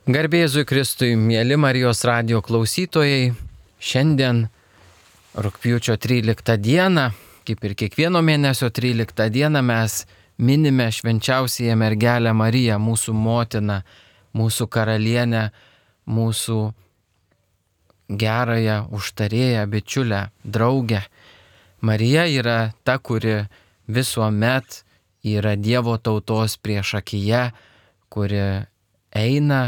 Garbė Jėzui Kristui, mėly Marijos radijo klausytojai, šiandien rugpjūčio 13 dieną, kaip ir kiekvieno mėnesio 13 dieną, mes minime švenčiausiąją mergelę Mariją, mūsų motiną, mūsų karalienę, mūsų gerąją užtarėją, bičiulę, draugę. Marija yra ta, kuri visuomet yra Dievo tautos priešakyje, kuri eina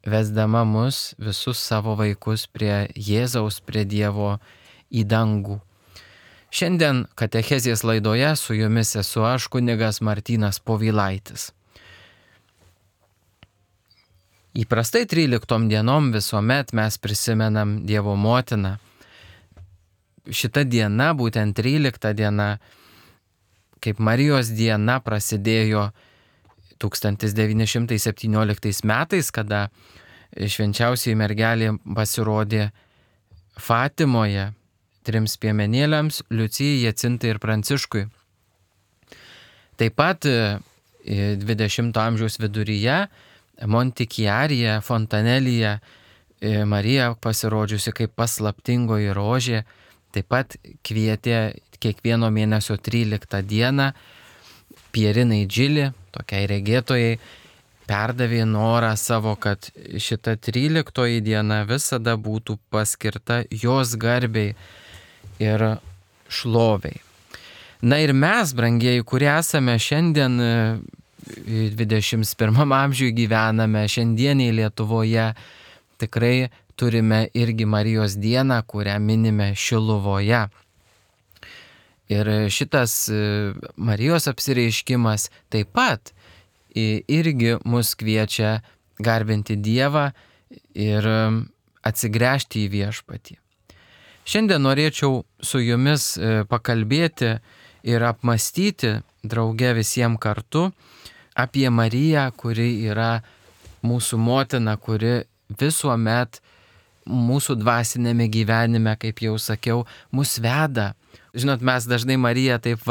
vesdama mus visus savo vaikus prie Jėzaus, prie Dievo į dangų. Šiandien katechezės laidoje su jumis esu aš, kunigas Martynas Povilaitis. Įprastai 13 dienom visuomet mes prisimenam Dievo motiną. Šita diena, būtent 13 diena, kaip Marijos diena, prasidėjo 1917 metais, kada švenčiausioji mergelė pasirodė Fatimoje 3 piemenėliams – Liucijai, Jacintai ir Pranciškui. Taip pat 20 amžiaus viduryje Montichiaryje, Fontanelyje Marija pasirodžiusi kaip paslaptingoji rožė, taip pat kvietė kiekvieno mėnesio 13 dieną Pierinai Džili, tokiai regėtojai, perdavė norą savo, kad šita 13 diena visada būtų paskirta jos garbei ir šloviai. Na ir mes, brangieji, kurie esame šiandien 21 amžiuje gyvename, šiandieniai Lietuvoje, tikrai turime irgi Marijos dieną, kurią minime Šiluvoje. Ir šitas Marijos apsireiškimas taip pat irgi mus kviečia garbinti Dievą ir atsigręžti į viešpatį. Šiandien norėčiau su jumis pakalbėti ir apmąstyti drauge visiems kartu apie Mariją, kuri yra mūsų motina, kuri visuomet mūsų dvasinėme gyvenime, kaip jau sakiau, mus veda. Žinot, mes dažnai Mariją taip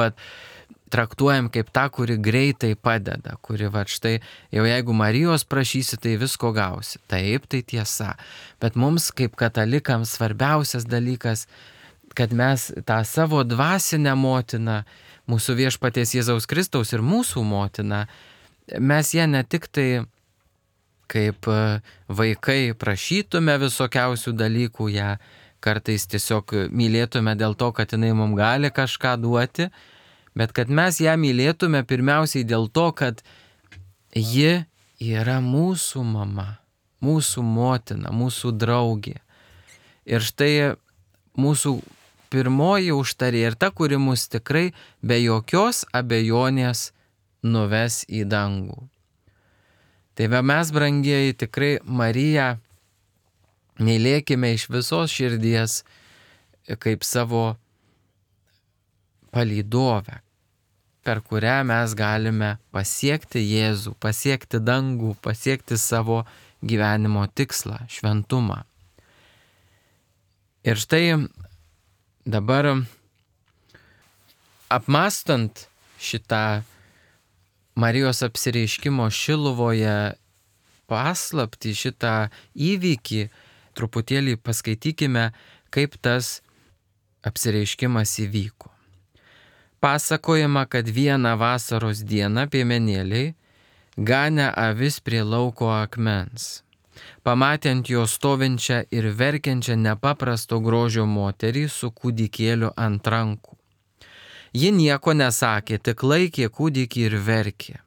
traktuojam kaip tą, kuri greitai padeda, kuri štai jau jeigu Marijos prašysi, tai visko gausi. Taip, tai tiesa. Bet mums kaip katalikams svarbiausias dalykas, kad mes tą savo dvasinę motiną, mūsų viešpaties Jėzaus Kristaus ir mūsų motiną, mes ją ne tik tai kaip vaikai prašytume visokiausių dalykų, ją kartais tiesiog mylėtume dėl to, kad jinai mums gali kažką duoti, bet kad mes ją mylėtume pirmiausiai dėl to, kad ji yra mūsų mama, mūsų motina, mūsų draugė. Ir štai mūsų pirmoji užtarė ir ta, kuri mus tikrai be jokios abejonės nuves į dangų. Tai mes, brangieji, tikrai Mariją mylėkime iš visos širdies kaip savo palydovę, per kurią mes galime pasiekti Jėzų, pasiekti dangų, pasiekti savo gyvenimo tikslą, šventumą. Ir štai dabar apmąstant šitą Marijos apsireiškimo Šiluvoje paslaptį, šitą įvykį, truputėlį paskaitykime, kaip tas apsireiškimas įvyko. Pasakojama, kad vieną vasaros dieną piemenėliai ganė avis prie lauko akmens. Pamatė ant jo stovinčią ir verkiančią nepaprasto grožio moterį su kūdikėliu ant rankų. Ji nieko nesakė, tik laikė kūdikį ir verkė.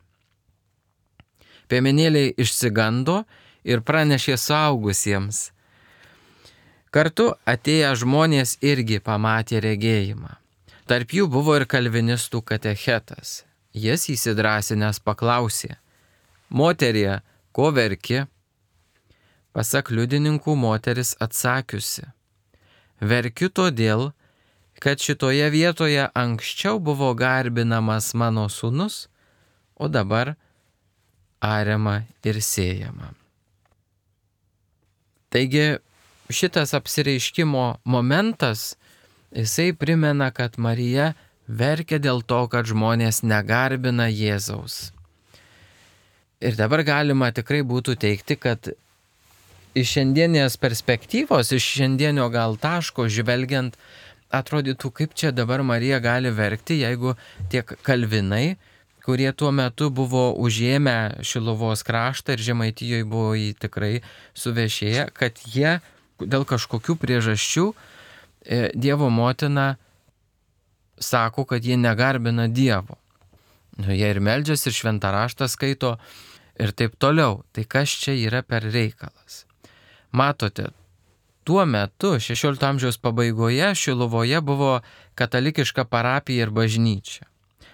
Piemenėliai išsigando ir pranešė suaugusiems. Kartu atėję žmonės irgi pamatė regėjimą. Tarp jų buvo ir kalvinistų katechetas. Jis įsidrąsinęs paklausė: moterie, ko verki? Pasak liudininkų, moteris atsakiusi: verkiu todėl, kad šitoje vietoje anksčiau buvo garbinamas mano sūnus, o dabar ariama ir sėjama. Taigi šitas apsireiškimo momentas, jisai primena, kad Marija verkia dėl to, kad žmonės negarbina Jėzaus. Ir dabar galima tikrai būtų teikti, kad iš šiandienės perspektyvos, iš šiandienio gal taško žvelgiant, atrodytų, kaip čia dabar Marija gali verkti, jeigu tiek kalvinai, kurie tuo metu buvo užėmę Šiluvos kraštą ir Žemaitijoje buvo jį tikrai suvešėję, kad jie dėl kažkokių priežasčių Dievo motina sako, kad jie negarbina Dievo. Jie ir meldžiasi, ir šventą raštą skaito ir taip toliau. Tai kas čia yra per reikalas? Matote, tuo metu, 16 amžiaus pabaigoje, Šiluvoje buvo katalikiška parapija ir bažnyčia.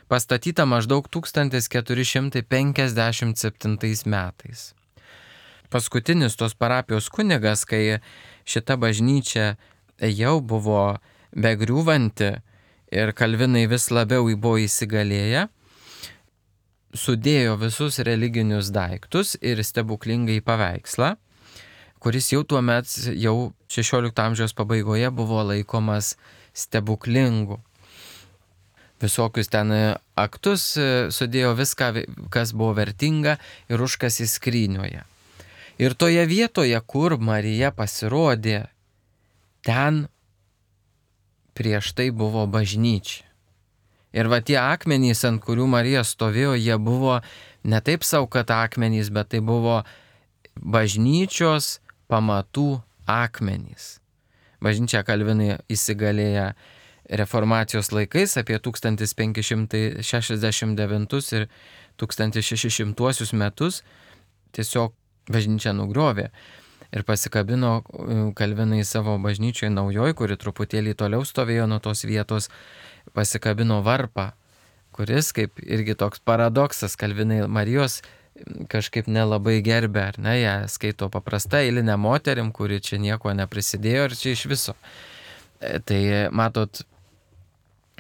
Pastatyta maždaug 1457 metais. Paskutinis tos parapijos kunigas, kai šita bažnyčia jau buvo begriūvanti ir kalvinai vis labiau buvo įsigalėję, sudėjo visus religinius daiktus ir stebuklingai paveikslą, kuris jau tuo met, jau 16 amžiaus pabaigoje buvo laikomas stebuklingu. Visokius ten aktus sudėjo viską, kas buvo vertinga ir užkasė skrynioje. Ir toje vietoje, kur Marija pasirodė, ten prieš tai buvo bažnyčia. Ir va tie akmenys, ant kurių Marija stovėjo, jie buvo ne taip sau, kad akmenys, bet tai buvo bažnyčios pamatų akmenys. Bažnyčia kalvinai įsigalėja reformacijos laikais apie 1569 ir 1600 metus tiesiog bažnyčia nugriovė ir pasikabino kalvinai savo bažnyčioje naujoj, kuri truputėlį toliau stovėjo nuo tos vietos, pasikabino varpą, kuris kaip irgi toks paradoksas, kalvinai Marijos kažkaip nelabai gerbė, ar ne, ją skaito paprasta eilinė moterim, kuri čia nieko neprisidėjo ir čia iš viso. Tai matot,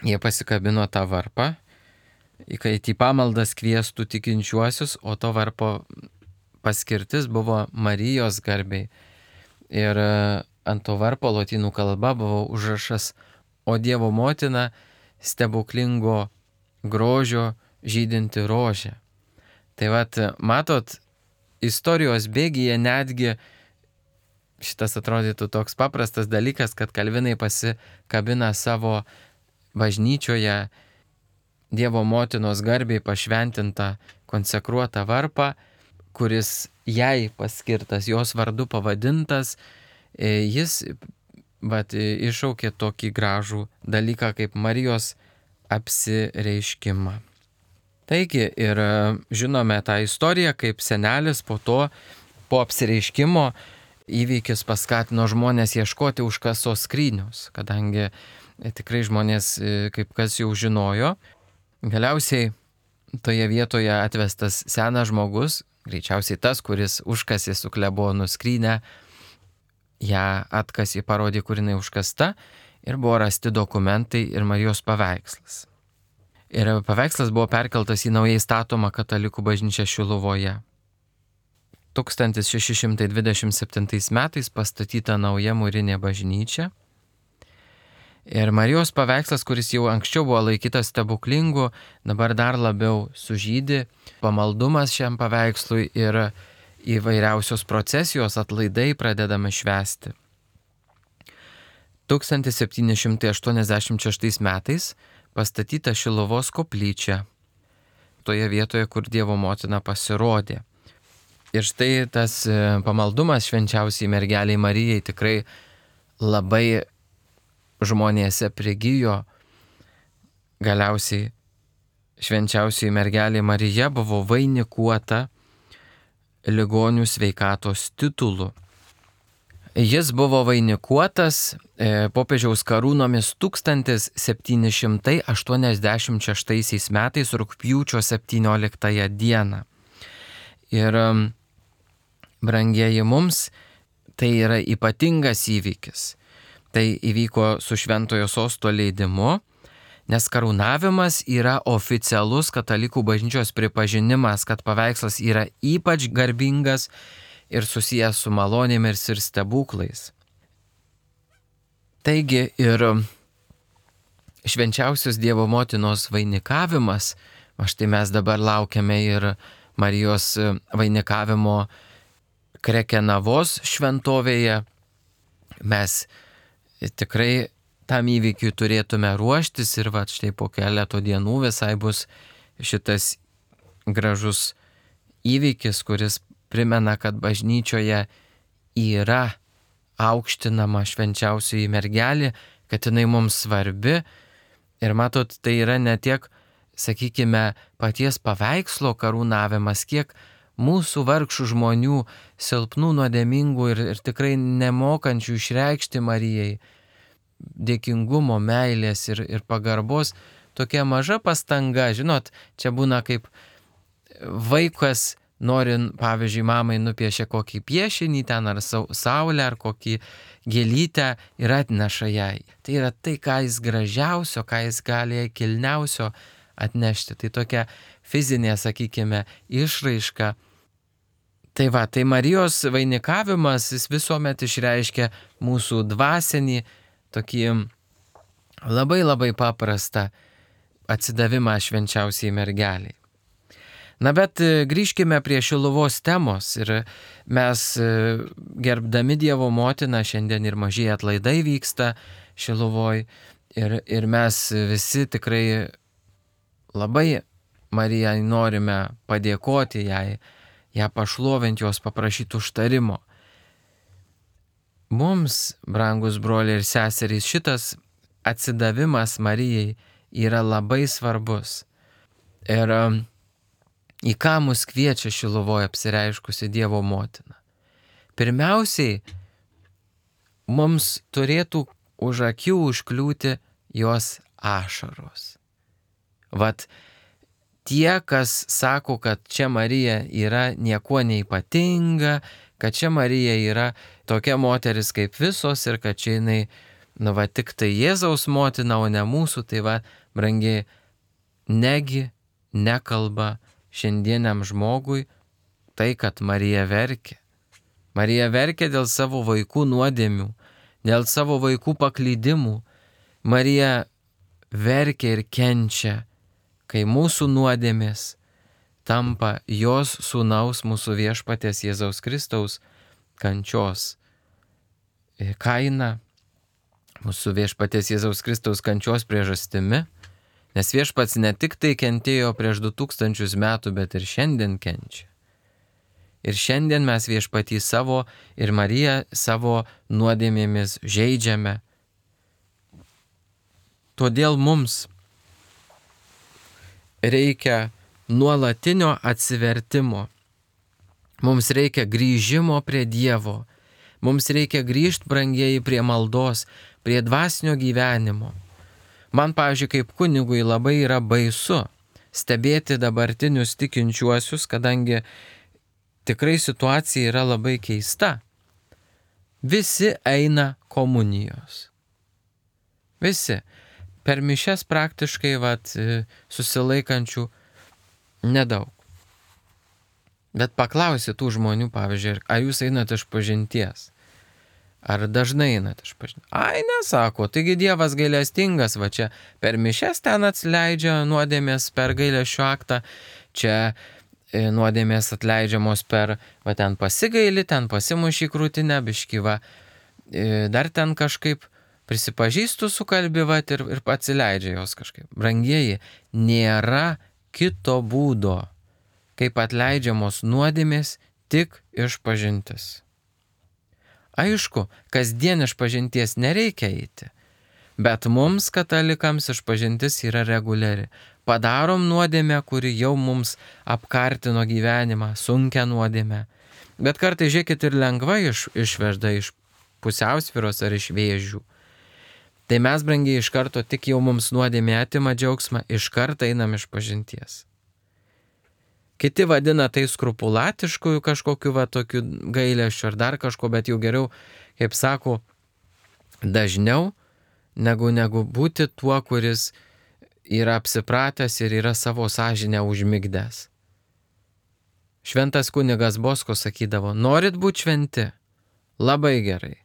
jie pasikabino tą varpą, kad į pamaldas kviestų tikinčiuosius, o to varpo paskirtis buvo Marijos garbei. Ir ant to varpo lotynų kalba buvo užrašas "O Dievo motina stebuklingo grožio žydinti rožė". Tai vat, matot, istorijos bėgyje netgi šitas atrodytų toks paprastas dalykas, kad kalvinai pasikabina savo bažnyčioje Dievo motinos garbei pašventintą konsekruotą varpą, kuris jai paskirtas, jos vardu pavadintas, jis iššaukė tokį gražų dalyką kaip Marijos apsireiškimą. Taigi ir žinome tą istoriją, kaip senelis po apsireiškimo įvykis paskatino žmonės ieškoti užkastos skrynios, kadangi tikrai žmonės kaip kas jau žinojo. Galiausiai toje vietoje atvestas senas žmogus, greičiausiai tas, kuris užkasė su klebonu skrynę, ją atkasė, parodė, kur jinai užkasta ir buvo rasti dokumentai ir Marijos paveikslas. Ir paveikslas buvo perkeltas į naujai statomą katalikų bažnyčią Šiluvoje. 1627 metais pastatyta nauja mūrinė bažnyčia. Ir Marijos paveikslas, kuris jau anksčiau buvo laikytas stebuklingu, dabar dar labiau sužydi. Pamaldumas šiam paveikslui ir įvairiausios procesijos atlaidai pradedame švęsti. 1786 metais pastatyta Šiluvos koplyčia, toje vietoje, kur Dievo motina pasirodė. Ir štai tas pamaldumas švenčiausiai mergeliai Marijai tikrai labai žmonėse prigijo. Galiausiai švenčiausiai mergelė Marija buvo vainikuota ligonių sveikatos titulu. Jis buvo vainikuotas popiežiaus karūnomis 1786 metais rugpjūčio 17 dieną. Ir brangieji, mums tai yra ypatingas įvykis. Tai įvyko su šventojo sosto leidimu, nes karūnavimas yra oficialus katalikų bažnyčios pripažinimas, kad paveikslas yra ypač garbingas ir susijęs su malonėmis ir stebuklais. Taigi ir švenčiausios Dievo motinos vainikavimas, štai mes dabar laukiame ir Marijos vainikavimo Krekenavos šventovėje. Mes tikrai tam įvykiui turėtume ruoštis ir štai po keleto dienų visai bus šitas gražus įvykis, kuris primena, kad bažnyčioje yra aukštinama švenčiausioji mergelė, kad jinai mums svarbi. Ir matot, tai yra ne tiek, sakykime, paties paveikslo karūnavimas, kiek mūsų vargšų žmonių, silpnų, nuodėmingų ir tikrai nemokančių išreikšti Marijai dėkingumo, meilės ir pagarbos, tokia maža pastanga. Žinot, čia būna kaip vaikas nori, pavyzdžiui, mamai nupiešia kokį piešinį ten ar saulę ar kokį gėlytę ir atneša jai. Tai yra tai, ką jis gražiausio, ką jis gali kilniausio atnešti. Tai tokia fizinė, sakykime, išraiška. Tai Marijos vainikavimas, jis visuomet išreiškia mūsų dvasinį, tokį labai labai paprastą atsidavimą švenčiausiai mergeliai. Na bet grįžkime prie Šiluvos temos ir mes gerbdami Dievo motiną, šiandien ir mažieji atlaidai vyksta Šiluvoj ir mes visi tikrai labai Marijai norime padėkoti jai, ją pašlovinti, jos paprašyti užtarimo. Mums, brangus broliai ir seserys, šitas atsidavimas Marijai yra labai svarbus. Ir į ką mus kviečia Šiluvoje apsireiškusi Dievo motina? Pirmiausiai, mums turėtų už akių užkliūti jos ašaros. Tie, kas sako, kad čia Marija yra niekuo neypatinga, kad čia Marija yra tokia moteris kaip visos ir kad čia jinai, tik tai Jėzaus motina, o ne mūsų, tai brangiai, negi nekalba šiandieniam žmogui tai, kad Marija verkia. Marija verkia dėl savo vaikų nuodėmių, dėl savo vaikų paklydimų. Marija verkia ir kenčia, kai mūsų nuodėmės tampa jos sūnaus, mūsų viešpaties Jėzaus Kristaus kančios kaina, mūsų viešpaties Jėzaus Kristaus kančios priežastimi, nes viešpats ne tik tai kentėjo prieš 2000 metų, bet ir šiandien kenčia. Ir šiandien mes viešpatį savo ir Mariją savo nuodėmėmis žeidžiame. Todėl mums reikia nuolatinio atsivertimo. Mums reikia grįžimo prie Dievo. Mums reikia grįžti, brangieji, prie maldos, prie dvasinio gyvenimo. Man, pavyzdžiui, kaip kunigui labai yra baisu stebėti dabartinius tikinčiuosius, kadangi tikrai situacija yra labai keista. Visi eina komunijos. Visi. Per mišias praktiškai susilaikančių nedaug. Bet paklausi tų žmonių, pavyzdžiui, ar jūs einate iš pažinties? Ar dažnai einate iš pažinties? Ai, nesako, taigi Dievas gailestingas, čia per mišias ten atleidžia nuodėmės per gailesčio aktą, čia nuodėmės atleidžiamos per, ten pasigaili, ten pasimuši krūtinę, biškyva, dar ten kažkaip prisipažįstu su kalbi, ir atsileidžia jos kažkaip. Brangieji, nėra kito būdo, kaip atleidžiamos nuodėmės, tik išpažintis. Aišku, kasdien išpažinties nereikia eiti, bet mums, katalikams, išpažintis yra reguliari. Padarom nuodėmę, kuri jau mums apkartino gyvenimą, sunkią nuodėmę. Bet kartais, žiūrėkit, ir lengvai išvežda iš pusiausvyros ar iš vėžių. Tai mes, brangiai, iš karto tik jau mums nuodėmė atima džiaugsmą, iš karto einam iš pažinties. Kiti vadina tai skrupulatiškųjų kažkokiu tokiu gailesčiu ar dar kažko, bet jau geriau, kaip sako, dažniau negu būti tuo, kuris yra apsipratęs ir yra savo sąžinę užmigdęs. Šventas kunigas Bosko sakydavo, norit būti šventi? Labai gerai.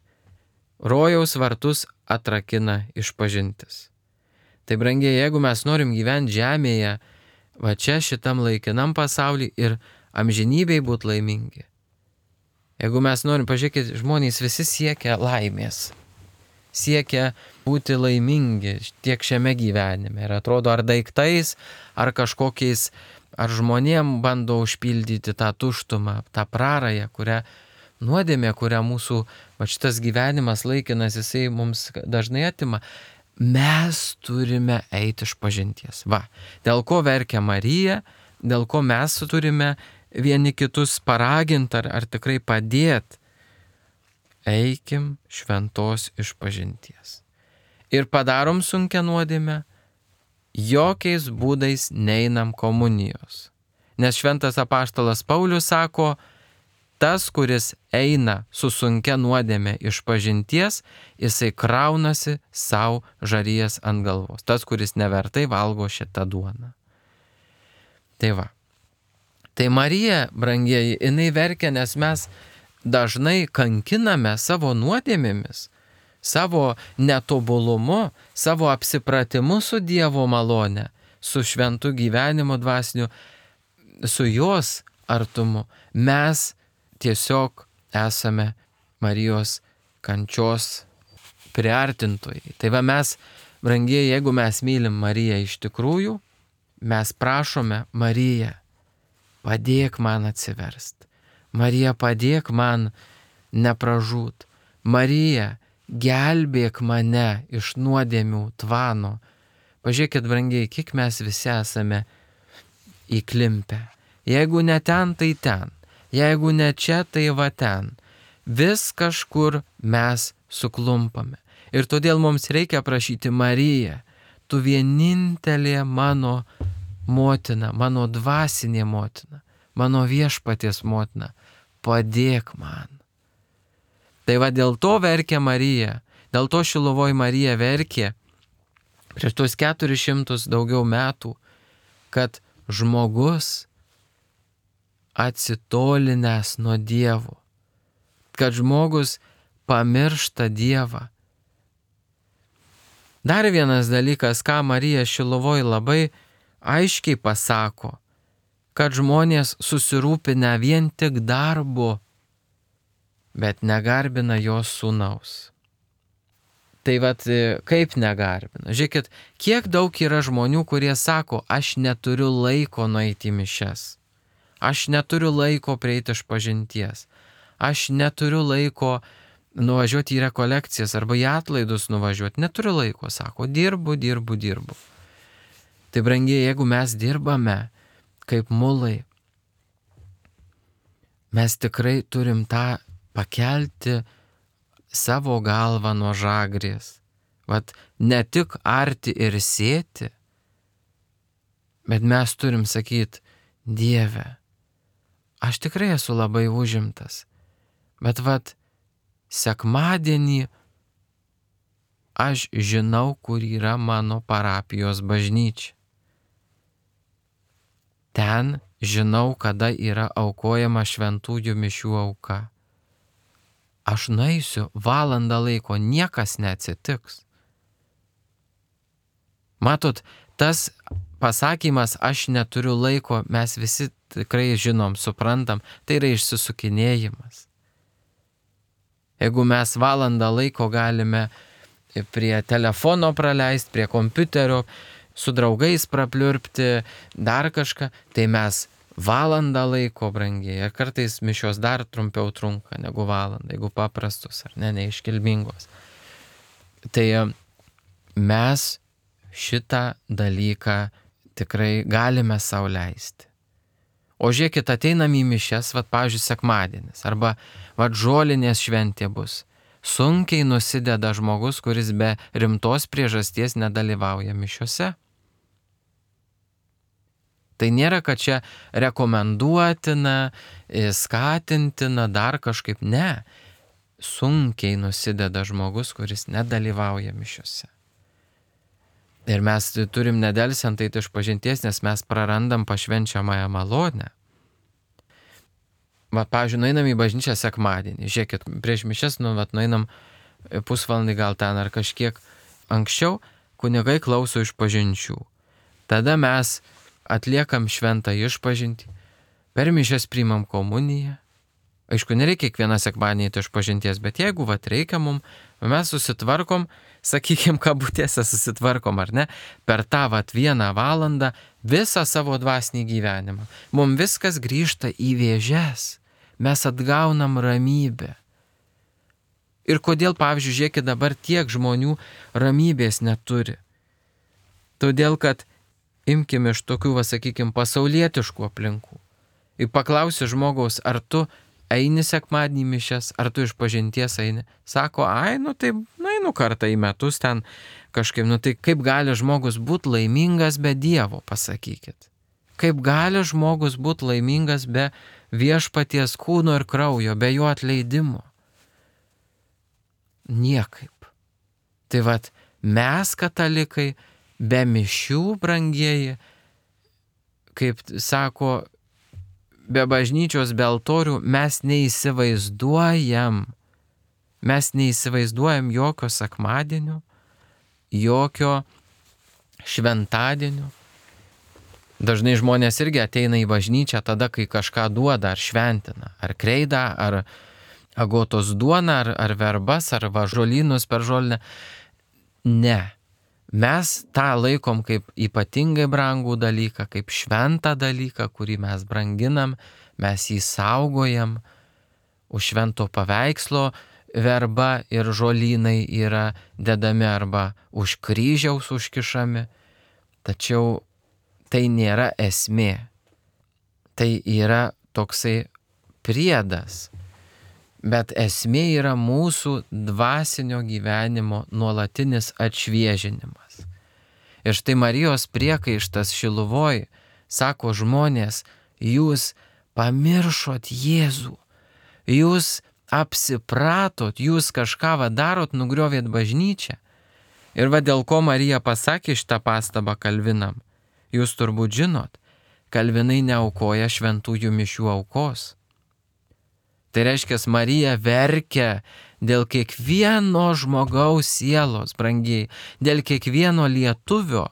Rojaus vartus atrakina išpažintis. Tai brangiai, jeigu mes norim gyventi žemėje, čia šitam laikinam pasauly ir amžinybei būti laimingi, Jeigu mes norim, pažiūrėkit, žmonės visi siekia laimės, siekia būti laimingi tiek šiame gyvenime. Ir atrodo, ar daiktais, ar kažkokiais, ar žmonėm bando užpildyti tą tuštumą, tą prarają, nuodėmė, kurią mūsų šitas gyvenimas laikinas, jisai mums dažnai atima. Mes turime eiti iš pažinties. Dėl ko verkia Marija, dėl ko mes turime vieni kitus paraginti ar tikrai padėti. Eikim šventos išpažinties. Ir padarom sunkią nuodėmę, jokiais būdais neinam komunijos. Nes šventas apaštalas Paulius sako, tas, kuris eina su sunkia nuodėmė išpažinties, jisai kraunasi savo žarijas ant galvos. Tas, kuris nevertai valgo šitą duoną. Tai Marija, brangieji, jinai verkia, nes mes dažnai kankiname savo nuodėmėmis, savo netobulumu, savo apsipratimu su Dievo malone, su šventu gyvenimu dvasiniu, su jos artumu. Mes tiesiog esame Marijos kančios priartintojai. Tai mes, brangieji, jeigu mes mylim Mariją iš tikrųjų, mes prašome Mariją, padėk man atsiverst. Marija, padėk man nepražūt. Marija, gelbėk mane iš nuodėmių tvano. Pažiūrėkit, brangiai, kiek mes visi esame įklimpę. Jeigu ne ten, tai ten. Jeigu ne čia, tai va ten. Vis kažkur mes suklumpame. Ir todėl mums reikia prašyti Mariją, tu vienintelė mano motina, mano dvasinė motina, mano viešpaties motina, padėk man. Tai va dėl to verkia Marija, dėl to Šiluvoj Marija verkė prieš tuos 400 daugiau metų, kad žmogus atsitolinęs nuo Dievo, kad žmogus pamiršta Dievą. Dar vienas dalykas, ką Marija Šiluvoj labai aiškiai pasako, kad žmonės susirūpinę vien tik darbu, bet negarbina jos sūnaus. Tai kaip negarbina? Žiūrėkit, kiek daug yra žmonių, kurie sako, aš neturiu laiko nueiti į mišias, aš neturiu laiko prieiti išpažinties, aš neturiu laiko nuvažiuoti į rekolekcijas arba į atlaidus nuvažiuoti, neturiu laiko, sako, dirbu. Tai brangiai, jeigu mes dirbame kaip mulai, mes tikrai turim tą pakelti savo galvą nuo žagrės. Ne tik arti ir sėti, bet mes turim sakyti, Dieve, aš tikrai esu labai užimtas, bet sekmadienį aš žinau, kur yra mano parapijos bažnyčia. Ten žinau, kada yra aukojama šventųjų mišių auka. Aš nueisiu valandą laiko, niekas neatsitiks. Matot, tas pasakymas, aš neturiu laiko, mes visi tikrai žinom, suprantam, tai yra išsisukinėjimas. Jeigu mes valandą laiko galime prie telefono praleisti, prie kompiuterio, su draugais prapliurpti, dar kažką, tai mes valandą laiko, brangiai, ir kartais mišios dar trumpiau trunka negu valandą, jeigu paprastus ar neiškilmingos. Tai mes šitą dalyką tikrai galime sau leisti. O žiūrėkit, ateinam į mišias, pavyzdžiui, sekmadienis, arba žolinės šventė bus. Sunkiai nusideda žmogus, kuris be rimtos priežasties nedalyvauja mišiose. Tai nėra, kad čia rekomenduotina, skatintina, dar kažkaip, ne. Sunkiai nusideda žmogus, kuris nedalyvauja mišiose. Ir mes turim nedelsiant eiti išpažinties, nes mes prarandam pašvenčiamąją malonę. Pavyzdžiui, nueinam į bažnyčią sekmadienį. Žiūrėkit, prieš mišias, nueinam pusvalandį gal ten ar kažkiek anksčiau, kunigai klauso išpažinčių. Tada mes atliekam šventą išpažintį, per mišias priimam komuniją, Aišku, nereikia kiekvieną sekmadienį eiti išpažinties, bet jeigu reikia mums, mes susitvarkom, sakykime, kabutėse susitvarkom, ar ne, per tą 1 valandą visą savo dvasinį gyvenimą. Mums viskas grįžta į vėžes, mes atgaunam ramybę. Ir kodėl, pavyzdžiui, žiūrėkit, dabar tiek žmonių ramybės neturi? Todėl, kad imkime iš tokių, sakykime, pasaulietiškų aplinkų. Ir paklausi žmogaus, ar tu eini sekmadienį mišias, ar tu išpažinties eini? Sako, tai einu kartą į metus ten kažkaip, tai kaip gali žmogus būti laimingas be Dievo, pasakykit. Kaip gali žmogus būti laimingas be viešpaties kūno ir kraujo, be jo atleidimo? Niekaip. Tai mes katalikai be mišių, brangieji, kaip sako, be bažnyčios, be altorių mes neįsivaizduojam. Mes neįsivaizduojam jokio sekmadienio, jokio šventadienio. Dažnai žmonės irgi ateina į bažnyčią tada, kai kažką duoda, ar šventina, ar kreidą, ar agotos duoną, ar verbas, ar žolynus per žolinę. Ne. Mes tą laikom kaip ypatingai brangų dalyką, kaip šventą dalyką, kurį mes branginam, mes jį saugojam. Už švento paveikslo verba ir žolynai yra dedami arba už kryžiaus užkišami. Tačiau tai nėra esmė. Tai yra toksai priedas. Bet esmė yra mūsų dvasinio gyvenimo nuolatinis atšviežinimas. Ir štai Marijos priekaištas Šiluvoj, sako žmonės, jūs pamiršot Jėzų, jūs apsipratot, jūs kažką darot, nugriovėt bažnyčią. Ir dėl ko Marija pasakė šitą pastabą Kalvinam. Jūs turbūt žinot, Kalvinai neaukoja šventųjų mišių aukos. Tai reiškia, Marija verkia dėl kiekvieno žmogaus sielos, brangiai, dėl kiekvieno lietuvio,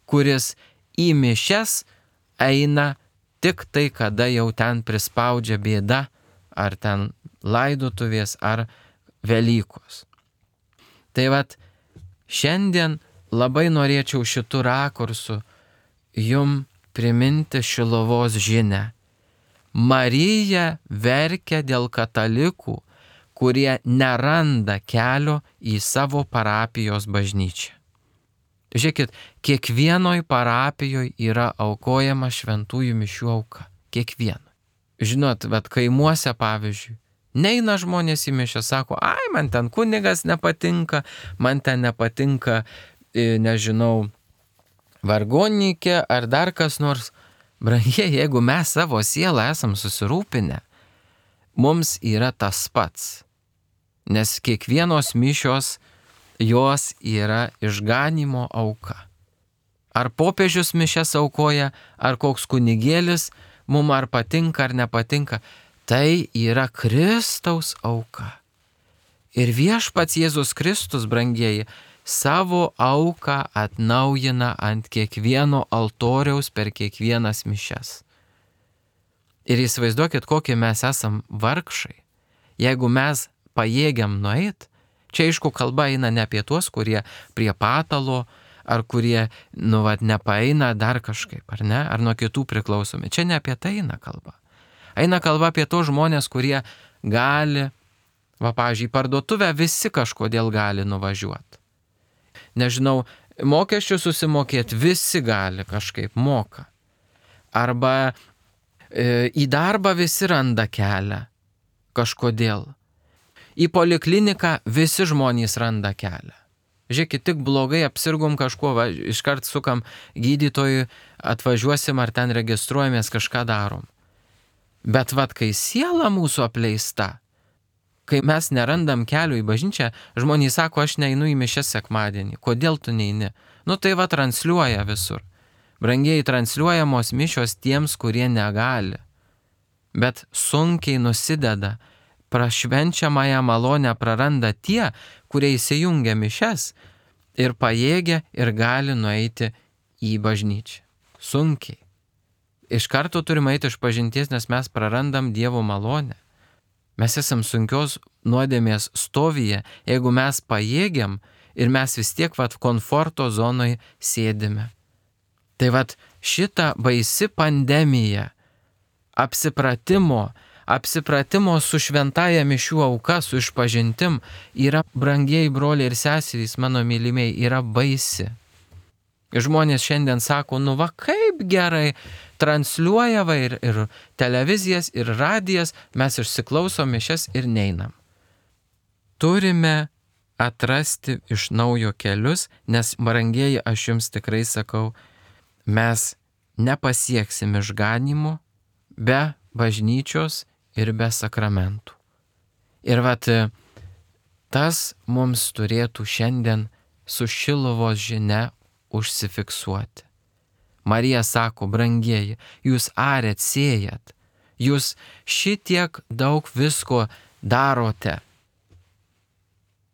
kuris į mišias eina tik tai, kada jau ten prispaudžia bėda, ar ten laidotuvės, ar Velykos. Tai šiandien labai norėčiau šitų rakursų jum priminti Šiluvos žinią. Marija verkia dėl katalikų, kurie neranda kelio į savo parapijos bažnyčią. Žiūrėkit, kiekvienoj parapijoje yra aukojama šventųjų mišių auka. Kiekvieno. Žinot, kaimuose, pavyzdžiui, neina žmonės į mišią, sako, man ten kunigas nepatinka, man ten nepatinka, nežinau, vargonininkė ar dar kas nors. Brangie, jeigu mes savo sielą esam susirūpinę, mums yra tas pats. Nes kiekvienos mišios, jos yra išganimo auka. Ar popiežius mišias aukoja, ar koks kunigėlis, mums ar patinka, ar nepatinka, tai yra Kristaus auka. Ir viešpats Jėzus Kristus, brangieji, savo auką atnaujina ant kiekvieno altoriaus per kiekvienas mišias. Ir įsivaizduokit, kokie mes esam vargšai. Jeigu mes pajėgiam nueit, čia aišku kalba eina ne apie tuos, kurie prie patalo, ar kurie, nepaeina dar kažkaip, ar ne, ar nuo kitų priklausomi. Čia ne apie tai eina kalba. Eina kalba apie tos žmonės, kurie gali, pavyzdžiui, parduotuvę visi kažkodėl gali nuvažiuoti. Nežinau, mokesčių susimokėti visi gali kažkaip moka. Arba į darbą visi randa kelią kažkodėl. Į polikliniką visi žmonės randa kelią. Žiūrėkit, tik blogai apsirgom kažkuo, iškart sukam gydytojui, atvažiuosim ar ten registruojamės, kažką darom. Bet kai siela mūsų apleista, kai mes nerandam kelio į bažnyčią, žmonės sako, aš neinu į mišias sekmadienį. Kodėl tu neini? Tai transliuoja visur. Brangiai, transliuojamos mišios tiems, kurie negali. Bet sunkiai nusideda. Prašvenčiamąją malonę praranda tie, kurie įsijungia mišias ir pajėgia ir gali nueiti į bažnyčią. Sunkiai. Iš karto turime eiti iš pažinties, nes mes prarandam Dievo malonę. Mes esam sunkios nuodėmės stovyje, jeigu mes pajėgiam ir mes vis tiek komforto zonoje sėdime. Tai šita baisi pandemija apsipratimo su šventaja mišių auka, su išpažintim yra, brangieji broliai ir seserys, mano mylimieji, yra baisi. Ir žmonės šiandien sako, kaip gerai transliuoja ir televizijas, ir radijas, mes išsiklausom mišias ir neinam. Turime atrasti iš naujo kelius, nes, brangieji, aš jums tikrai sakau, mes nepasieksim išganimo be bažnyčios ir be sakramentų. Ir tas mums turėtų šiandien su Šiluvos žinia užsifiksuoti. Marija sako, brangieji, jūs arėt, sėjat, jūs šitiek daug visko darote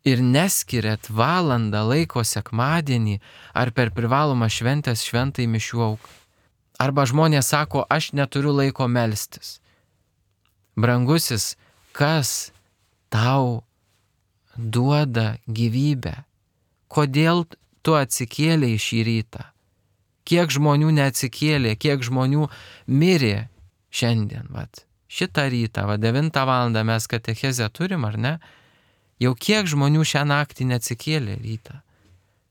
ir neskiriat valandą laiko sekmadienį ar per privalomą šventės šventai mišių auką. Arba žmonės sako, aš neturiu laiko melstis. Brangusis, kas tau duoda gyvybę? Kodėl tu atsikėlei šį rytą? Kiek žmonių neatsikėlė, kiek žmonių mirė šiandien, šitą rytą, 9 valandą mes katechezę turim, ar ne? Jau kiek žmonių šią naktį neatsikėlė rytą.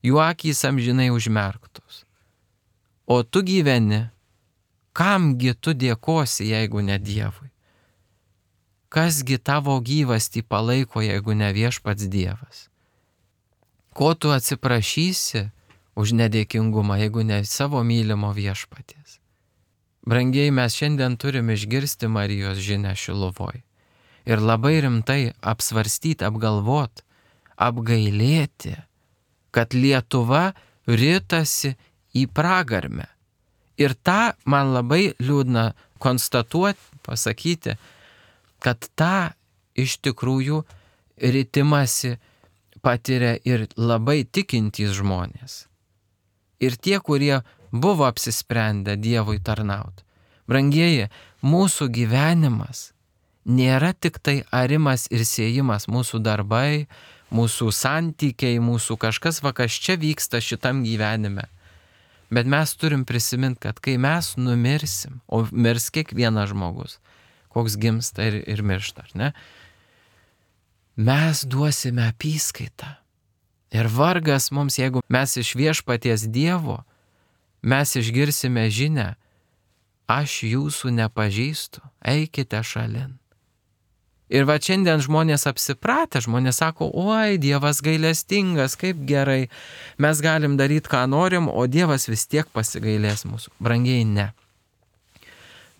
Jų akys amžinai užmerktos. O tu gyveni, kamgi tu dėkosi, jeigu ne Dievui? Kasgi tavo gyvastį palaiko, jeigu ne viešpats Dievas? Ko tu atsiprašysi už nedėkingumą, jeigu ne savo mylimo viešpaties? Brangieji, mes šiandien turim išgirsti Marijos žinią Šiluvoj ir labai rimtai apsvarstyti, apgalvoti, apgailėti, kad Lietuva ritasi į pragarmę. Ir tą man labai liūdna konstatuoti, pasakyti, kad tą iš tikrųjų ritimasi patiria ir labai tikintys žmonės. Ir tie, kurie buvo apsisprendę Dievui tarnauti. Brangieji, mūsų gyvenimas nėra tik tai arimas ir sėjimas, mūsų darbai, mūsų santykiai, mūsų kažkas, kas čia vyksta šitam gyvenime. Bet mes turim prisiminti, kad kai mes numirsim, o mirs kiekvienas žmogus, koks gimsta ir miršta, ar ne? Mes duosime apyskaitą. Ir vargas mums, jeigu mes iš viešpaties Dievo, mes išgirsime žinią, aš jūsų nepažįstu, eikite šalin. Ir šiandien žmonės apsipratę, žmonės sako, oi, Dievas gailestingas, kaip gerai, mes galim daryti, ką norim, o Dievas vis tiek pasigailės mūsų. Brangiai, ne.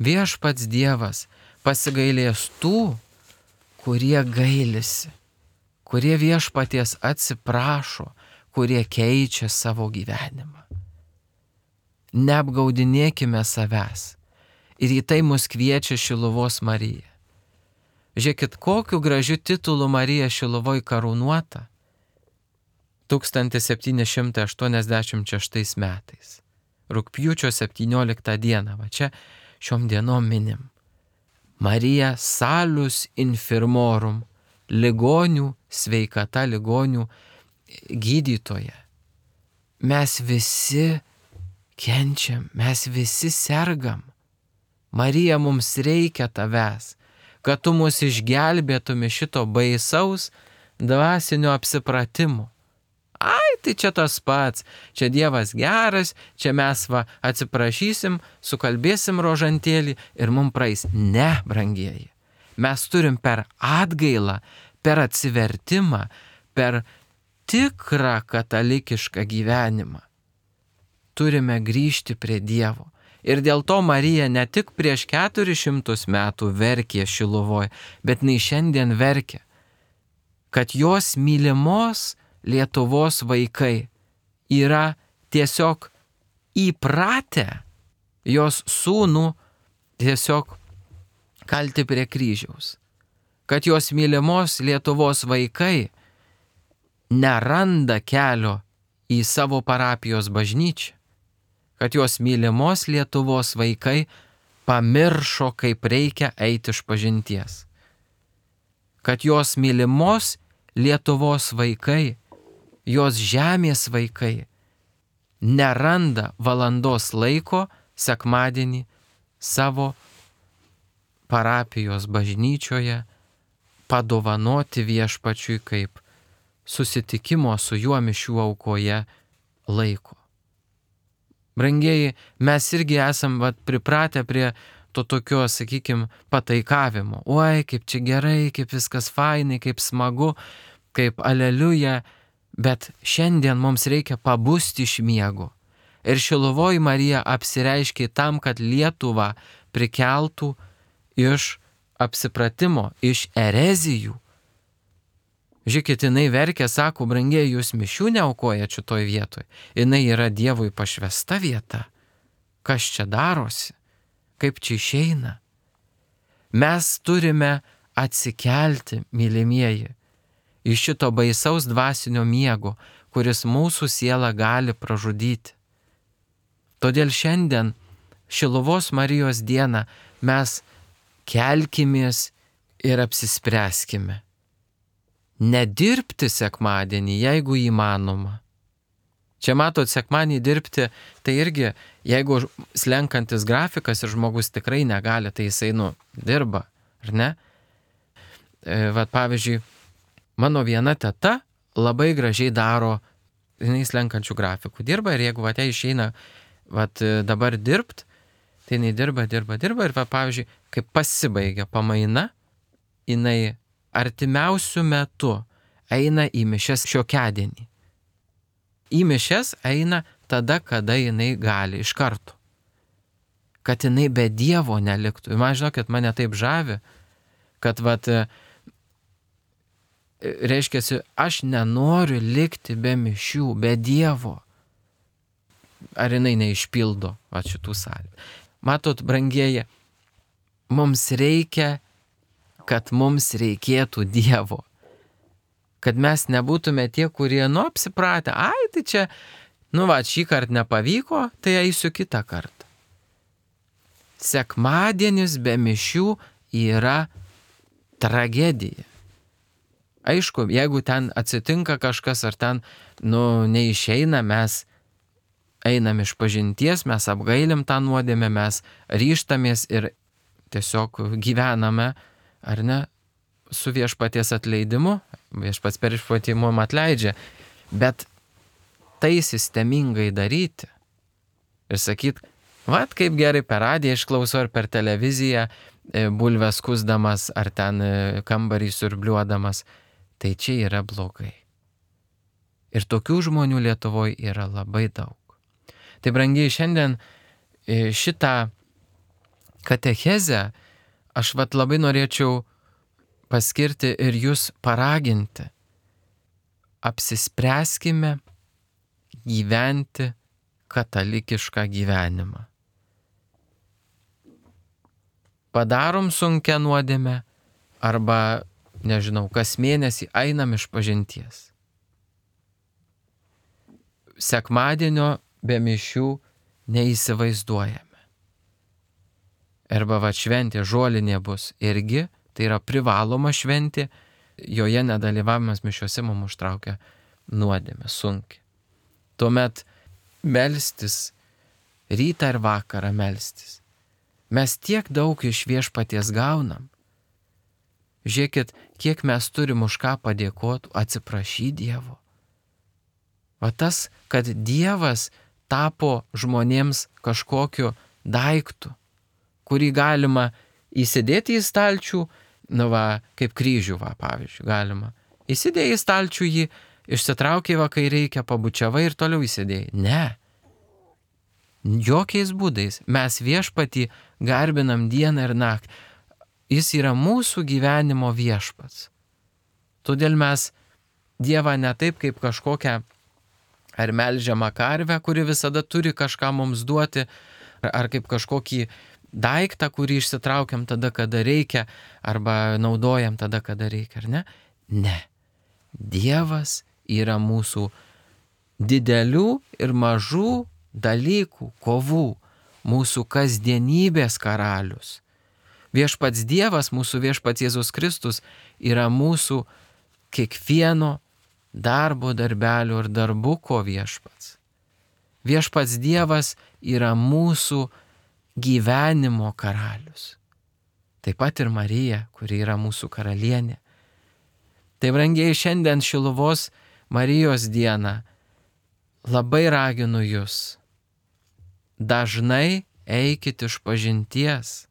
Viešpats Dievas pasigailės tų, kurie gailisi, kurie viešpaties atsiprašo, kurie keičia savo gyvenimą. Neapgaudinėkime savęs. Ir į tai mus kviečia Šiluvos Marija. Žiūrėkit, kokiu gražiu titulu Marija Šiluvoj karūnuota 1786 metais. Rugpjūčio 17 dieną, čia šiom dienom minim. Marija salus infirmorum, ligonių sveikata, ligonių gydytoja. Mes visi kenčiam, mes visi sergam. Marija, mums reikia tavęs, kad tu mus išgelbėtum iš šito baisaus dvasinio apsipratimo. Ai, tai čia tas pats, čia Dievas geras, čia mes atsiprašysim, sukalbėsim rožantėlį ir mums praeis. Ne, brangieji, mes turim per atgailą, per atsivertimą, per tikrą katalikišką gyvenimą. Turime grįžti prie Dievo. Ir dėl to Marija ne tik prieš 400 metų verkė Šiluvoj, bet jinai šiandien verkia, kad jos mylimos Lietuvos vaikai yra tiesiog įpratę jos sūnų tiesiog kalti prie kryžiaus. Kad jos mylimos Lietuvos vaikai neranda kelio į savo parapijos bažnyčią. Kad jos mylimos Lietuvos vaikai pamiršo, kaip reikia eiti išpažinties. kad jos mylimos Lietuvos vaikai, jos žemės vaikai neranda valandos laiko sekmadienį savo parapijos bažnyčioje padovanoti Viešpačiui kaip susitikimo su juo mišių aukoje laiko. Brangieji, mes irgi esam pripratę prie to tokio, sakykime, pataikavimo. Oi, kaip čia gerai, kaip viskas fainai, kaip smagu, kaip aleliuja, bet šiandien mums reikia pabusti iš miego. Ir Šiluvoj Marija apsireiškė tam, kad Lietuvą prikeltų iš apsipratimo, iš erezijų. Žiūrėkit, jinai verkia, sako, brangieji, jūs mišių neaukojat šitoj vietoj. Jinai yra Dievui pašvesta vieta. Kas čia darosi? Kaip čia išeina? Mes turime atsikelti, mylimieji, iš šito baisaus dvasinio miego, kuris mūsų sielą gali pražudyti. Todėl šiandien, Šiluvos Marijos dieną, mes kelkimės ir apsispręskime. Nedirbti sekmadienį, jeigu įmanoma. Čia matot, sekmadienį dirbti, tai irgi, jeigu slenkantis grafikas ir žmogus tikrai negali, tai jisai, dirba, ar ne? Pavyzdžiui, mano viena teta labai gražiai daro, jinai slenkančių grafikų dirba ir jeigu jai išeina dabar dirbt, tai jinai dirba ir pavyzdžiui, kai pasibaigia pamaina, jinai artimiausių metų eina į mišias šiokiadienį. Į mišias eina tada, kada jinai gali, iš karto. Kad jinai be Dievo neliktų. Ir man žinokit, mane taip žavi, kad reiškiasi, aš nenoriu likti be mišių, be Dievo. Ar jinai neišpildo šitų sąlygų. Matot, brangieji, mums reikia, kad mums reikėtų Dievo. Kad mes nebūtume tie, kurie, apsipratę, tai čia, šį kartą nepavyko, tai eisiu kitą kartą. Sekmadienis be mišių yra tragedija. Aišku, jeigu ten atsitinka kažkas, ar ten, neišeina, mes einam iš pažinties, mes apgailim tą nuodėmę, mes ryžtamės ir tiesiog gyvename, ar ne, su Viešpaties atleidimu, Viešpats per išpatimą atleidžia, bet tai sistemingai daryti ir sakyt, kaip gerai per radiją išklausau ar per televiziją bulves kusdamas ar ten kambarį siurbliuodamas, tai čia yra blogai. Ir tokių žmonių Lietuvoje yra labai daug. Tai brangiai, šiandien šitą katechezę aš labai norėčiau paskirti ir jūs paraginti. Apsispręskime gyventi katalikišką gyvenimą. Padarom sunkią nuodėmę arba, kas mėnesį einam iš pažinties. Sekmadienio be mišių neįsivaizduojame. Arba šventė žolinė bus irgi, tai yra privaloma šventė, joje nedalyvavimas mišiuose mums užtraukia nuodėmę sunkiai. Tuomet melstis, rytą ir vakarą melstis. Mes tiek daug iš Viešpaties gaunam. Žiūrėkit, kiek mes turim už ką padėkoti, atsiprašyti Dievo. Tas, kad Dievas tapo žmonėms kažkokiu daiktu, kurį galima įsidėti į stalčių, kaip kryžių, pavyzdžiui, galima. Įsidėjai į stalčių jį, išsitraukiai kai reikia, pabučiavai ir toliau įsidėjai. Ne. Jokiais būdais. Mes Viešpatį garbinam dieną ir naktį. Jis yra mūsų gyvenimo viešpats. Todėl mes Dievą ne taip kaip kažkokią ar melžiamą karvę, kuri visada turi kažką mums duoti, ar kaip kažkokį daiktą, kurį išsitraukiam tada, kada reikia, arba naudojam tada, kada reikia, ar ne? Ne. Dievas yra mūsų didelių ir mažų dalykų, kovų, mūsų kasdienybės karalius. Viešpats Dievas, mūsų viešpats Jėzus Kristus yra mūsų kiekvieno darbo, darbelio ir darbuko viešpats. Viešpats Dievas yra mūsų gyvenimo karalius. Taip pat ir Marija, kuri yra mūsų karalienė. Tai brangiai, šiandien Šiluvos Marijos dieną labai raginu jūs. Dažnai eikit išpažinties.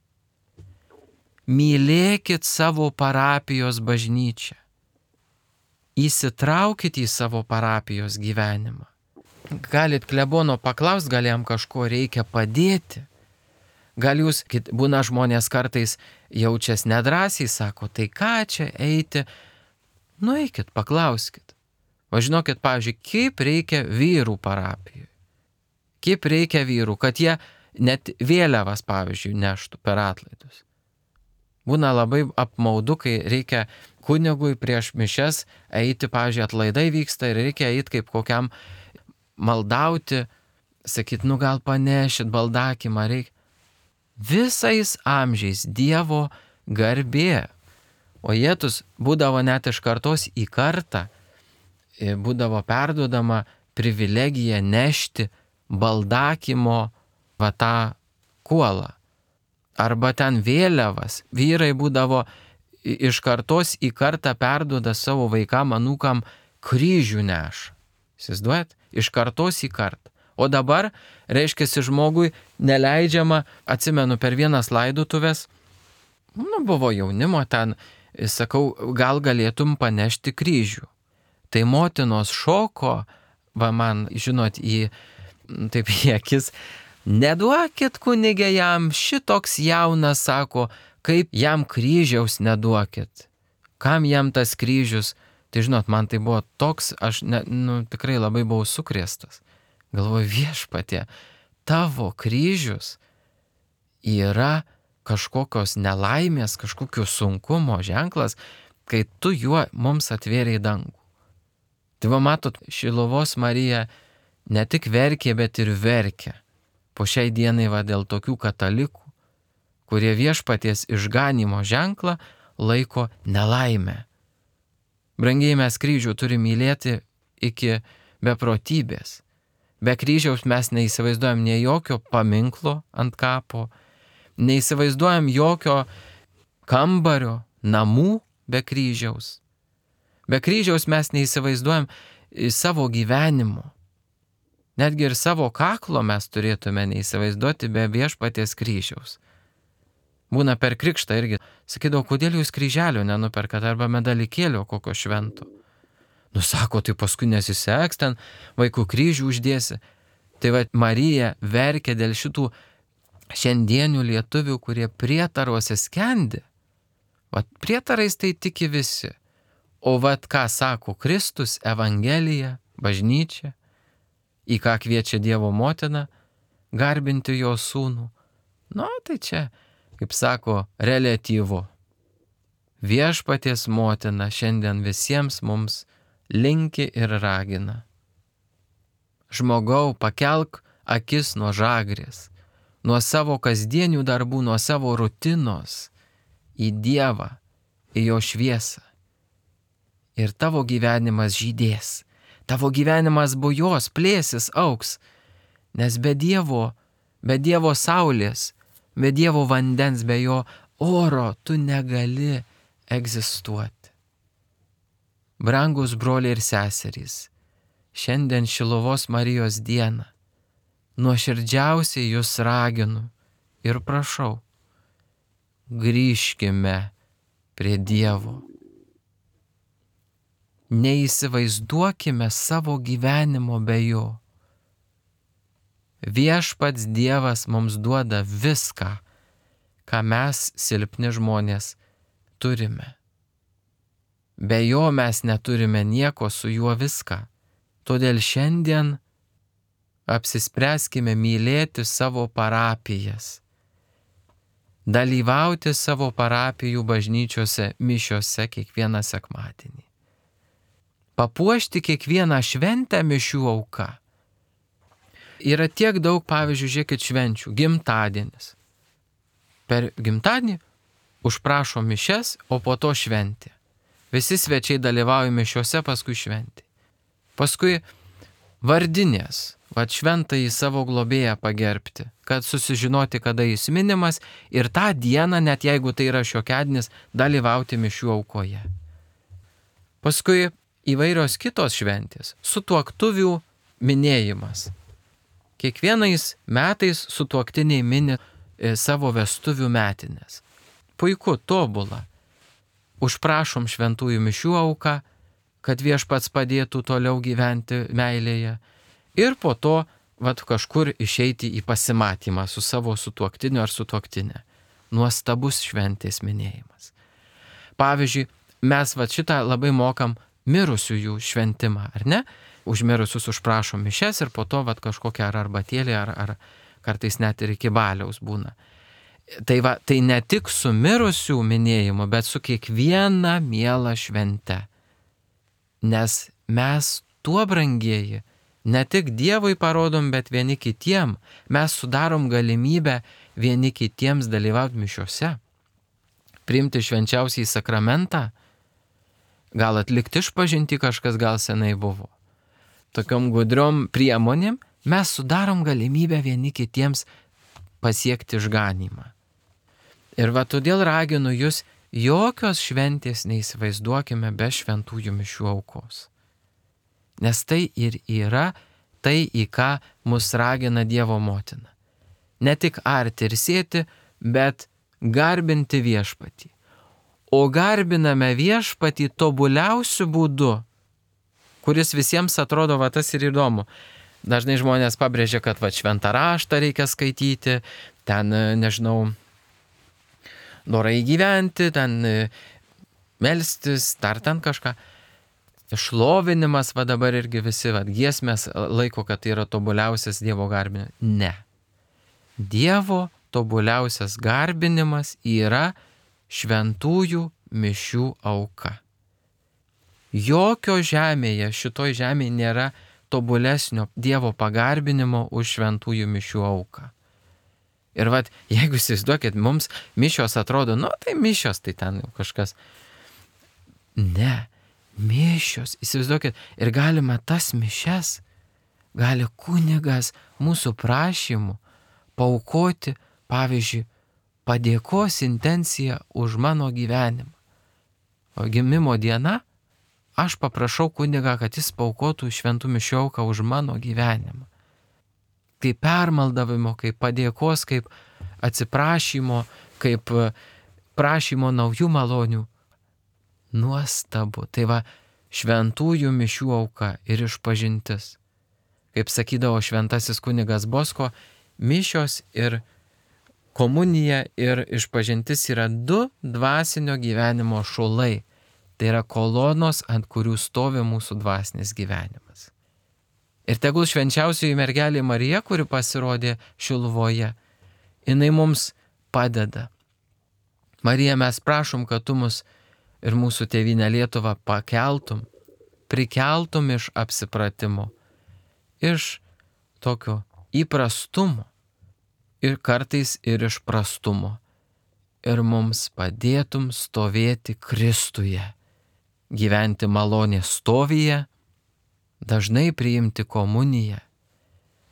Mylėkit savo parapijos bažnyčią. Įsitraukit į savo parapijos gyvenimą. Galit klebono paklausti, gal jam kažko reikia padėti. Gal jūs, būna žmonės kartais jaučias nedrąsiai, sako, tai ką čia eiti? Nueikit, paklauskit. Važinokit, pavyzdžiui, kaip reikia vyrų parapijoje. Kaip reikia vyrų, kad jie net vėliavas, pavyzdžiui, neštų per atlaidus. Būna labai apmaudu, kai reikia kunigui prieš mišias eiti, pavyzdžiui, atlaidai vyksta ir reikia eiti kaip kokiam maldauti, sakyt, gal panešit baldakimą reikia. Visais amžiais Dievo garbė. O Jėzus būdavo net iš kartos į kartą, būdavo perduodama privilegija nešti baldakimo tą kuolą. Arba ten vėliavas. Vyrai būdavo iš kartos į kartą perduoda savo vaikam, anūkam kryžių neša. Įsivaizduojat? Iš kartos į kartą. O dabar, reiškiasi, žmogui neleidžiama, atsimenu, per vienas laidotuvės, buvo jaunimo ten, sakau, gal galėtum panešti kryžių. Tai motinos šoko, man, žinot, taip į akis, neduokit kunigė jam, šitoks jaunas, sako, kaip jam kryžiaus neduokit. Kam jam tas kryžius? Tai žinot, man tai buvo toks, aš tikrai labai buvau sukrėstas. Galvoju, Viešpatie, tavo kryžius yra kažkokios nelaimės, kažkokio sunkumo ženklas, kai tu juo mums atvėrei dangų. Tai va matot, Šiluvos Marija ne tik verkė, bet ir verkė. Po šiai dienai dėl tokių katalikų, kurie Viešpaties išganimo ženklą laiko nelaimę. Brangiai, mes kryžių turime mylėti iki beprotybės. Be kryžiaus mes neįsivaizduojam nei jokio paminklo ant kapo, neįsivaizduojam jokio kambario, namų be kryžiaus. Be kryžiaus mes neįsivaizduojam savo gyvenimo. Netgi ir savo kaklo mes turėtume neįsivaizduoti be Viešpaties kryžiaus. Būna per krikštą irgi. Sakydavo, kodėl jūs kryželio nenuperkat arba medalikėlio kokio švento. Sako, tai paskui nesiseks, ten vaikų kryžių uždėsi. Tai Marija verkė dėl šitų šiandienių lietuvių, kurie prietaruose skendi. Prietarais tai tiki visi. O ką sako Kristus, Evangelija, bažnyčia, į ką kviečia Dievo motina, garbinti jo sūnų. Tai čia, kaip sako, reliatyvu. Viešpaties motina šiandien visiems mums linki ir ragina. Žmogau, pakelk akis nuo žagrės, nuo savo kasdienių darbų, nuo savo rutinos į Dievą, į jo šviesą. Ir tavo gyvenimas žydės, tavo gyvenimas bujos, plėsis, auks, nes be Dievo saulės, be Dievo vandens, be jo oro tu negali egzistuoti. Brangus broliai ir seserys, šiandien Šiluvos Marijos dieną nuoširdžiausiai jūs raginu ir prašau, grįžkime prie Dievo. Neįsivaizduokime savo gyvenimo be jo. Viešpats Dievas mums duoda viską, ką mes, silpni žmonės, turime. Be jo mes neturime nieko, su juo viską. Todėl šiandien apsispręskime mylėti savo parapijas, dalyvauti savo parapijų bažnyčiose mišiose kiekvieną sekmadienį, papuošti kiekvieną šventę mišių auka. Yra tiek daug, pavyzdžiui, žiūrėkit, švenčių, gimtadienis. Per gimtadienį užprašo mišias, o po to šventė. Visi svečiai dalyvauja mišiuose, paskui šventė. Paskui vardinės, šventąjį savo globėją pagerbti, kad susižinoti, kada jis minimas ir tą dieną, net jeigu tai yra šiokiadienis, dalyvauti mišių aukoje. Paskui įvairios kitos šventės, sutuoktuvių minėjimas. Kiekvienais metais sutuoktiniai mini savo vestuvių metinės. Puiku, tobula. Užprašom šventųjų mišių auką, kad viešpats padėtų toliau gyventi meilėje. Ir po to kažkur išeiti į pasimatymą su savo sutuoktiniu ar sutuoktinė. Nuostabus šventės minėjimas. Pavyzdžiui, mes šitą labai mokam mirusiųjų šventimą, ar ne? Už mirusius užprašom mišias ir po to kažkokią ar arbatėlį, ar kartais net ir iki baliaus būna. Tai ne tik su mirusių minėjimu, bet su kiekviena miela švente. Nes mes tuo, brangieji, ne tik Dievui parodom, bet vieni kitiem. Mes sudarom galimybę vieni kitiems dalyvauti mišiuose, priimti švenčiausiąjį sakramentą, gal atlikti išpažintį kažkas gal senai buvo. Tokiom gudriom priemonėm mes sudarom galimybę vieni kitiems pasiekti išganymą. Ir todėl raginu jūs, jokios šventės neįsivaizduokime be šventųjų mišių aukos. Nes tai ir yra tai, į ką mus ragina Dievo motina. Ne tik arti ir sėti, bet garbinti viešpatį. O garbiname viešpatį tobuliausiu būdu, kuris visiems atrodo tas ir įdomu. Dažnai žmonės pabrėžia, kad šventą raštą reikia skaityti, ten, dorai gyventi, ten melstis, dar ten kažką. Šlovinimas, dabar irgi visi giesmės laiko, kad tai yra tobuliausias Dievo garbinimas. Ne. Dievo tobuliausias garbinimas yra šventųjų mišių auka. Jokio žemėje, šitoj žemėje nėra tobulesnio Dievo pagarbinimo už šventųjų mišių auką. Ir jeigu įsivaizduokit, mums mišios atrodo, tai mišios, tai ten jau kažkas. Ne, mišios, įsivaizduokit, ir galima tas mišias, gali kunigas mūsų prašymų paaukoti, pavyzdžiui, padėkos intenciją už mano gyvenimą. O gimimo diena, aš paprašau kunigą, kad jis paaukotų šventų mišių auką už mano gyvenimą. Kaip permaldavimo, kaip padėkos, kaip atsiprašymo, kaip prašymo naujų malonių. Nuostabu. Tai šventųjų mišių auka ir išpažintis. Kaip sakydavo šventasis kunigas Bosko, mišios ir komunija ir išpažintis yra du dvasinio gyvenimo šulai. Tai yra kolonos, ant kurių stovi mūsų dvasinis gyvenimas. Ir tegul švenčiausioji mergelė Marija, kuri pasirodė Šiluvoje, jinai mums padeda. Marija, mes prašom, kad tu mus ir mūsų tėvynę Lietuvą pakeltum, prikeltum iš apsipratimo, iš tokio įprastumo ir kartais ir iš prastumo. Ir mums padėtum stovėti Kristuje, gyventi malonės stovyje, dažnai priimti komuniją,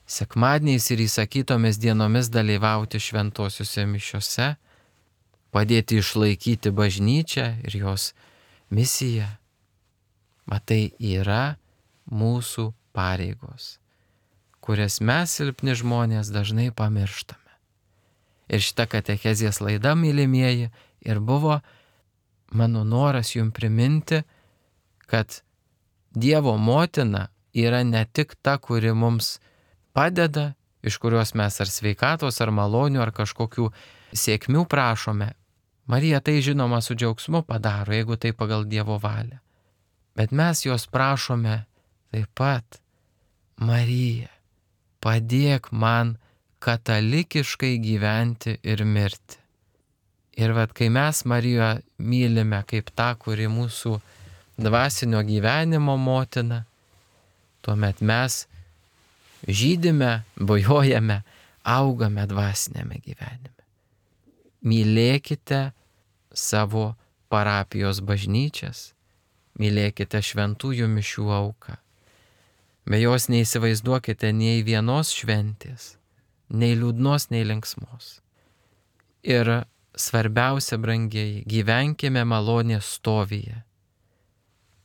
sekmadieniais ir įsakytomis dienomis dalyvauti šventosiuose mišiuose, padėti išlaikyti bažnyčią ir jos misiją. Tai yra mūsų pareigos, kurias mes silpni žmonės dažnai pamirštame. Ir šita katechezės laida, mylimieji, ir buvo mano noras jums priminti, kad Dievo motina yra ne tik ta, kuri mums padeda, iš kurios mes ar sveikatos, ar malonių, ar kažkokių sėkmių prašome. Marija tai žinoma su džiaugsmu padaro, jeigu tai pagal Dievo valią. Bet mes jos prašome taip pat: Marija, padėk man katalikiškai gyventi ir mirti. Ir kai mes Mariją mylime kaip tą, kuri mūsų dvasinio gyvenimo motina, tuomet mes žydime, bujojame, augame dvasinėme gyvenime. Mylėkite savo parapijos bažnyčias, mylėkite šventųjų mišių auką. Be jos neįsivaizduokite nei vienos šventės, nei liūdnos, nei linksmos. Ir svarbiausia, brangieji, gyvenkime malonės stovyje.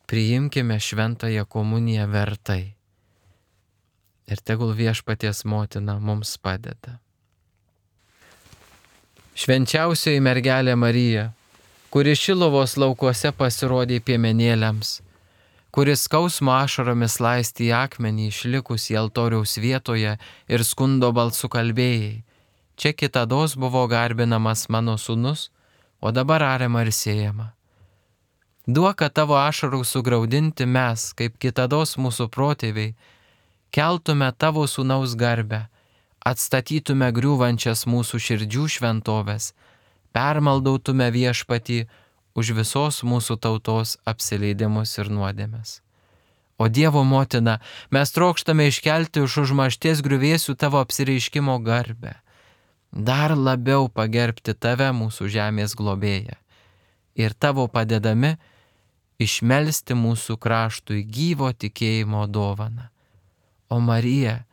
Priimkime šventąją komuniją vertai. Ir tegul viešpaties motina mums padeda. Švenčiausioji mergelė Marija, kuri Šiluvos laukuose pasirodė piemenėliams, kuris skausmo ašaromis laistė į akmenį išlikusį altoriaus vietoje ir skundo balsu kalbėjai, čia kitados buvo garbinamas mano sūnus, o dabar ariama ir siejama. Duok, kad tavo ašarų sugraudinti mes, kaip kitados mūsų protėviai, keltume tavo sūnaus garbę, atstatytume griūvančias mūsų širdžių šventoves, permaldautume viešpatį už visos mūsų tautos apsileidimus ir nuodėmes. O Dievo motina, mes trokštame iškelti iš užmaršties griuvėsių tavo apsireiškimo garbę, dar labiau pagerbti tave, mūsų žemės globėją, ir tavo padedami išmelsti mūsų kraštui gyvo tikėjimo dovaną. O Marija,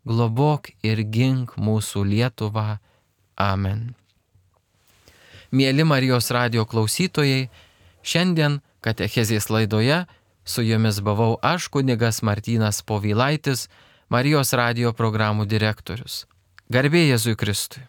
globok ir gink mūsų Lietuvą. Amen. Mieli Marijos radijo klausytojai, šiandien katechezės laidoje su jumis buvau aš, kunigas Martynas Povilaitis, Marijos radijo programų direktorius. Garbė Jėzui Kristui.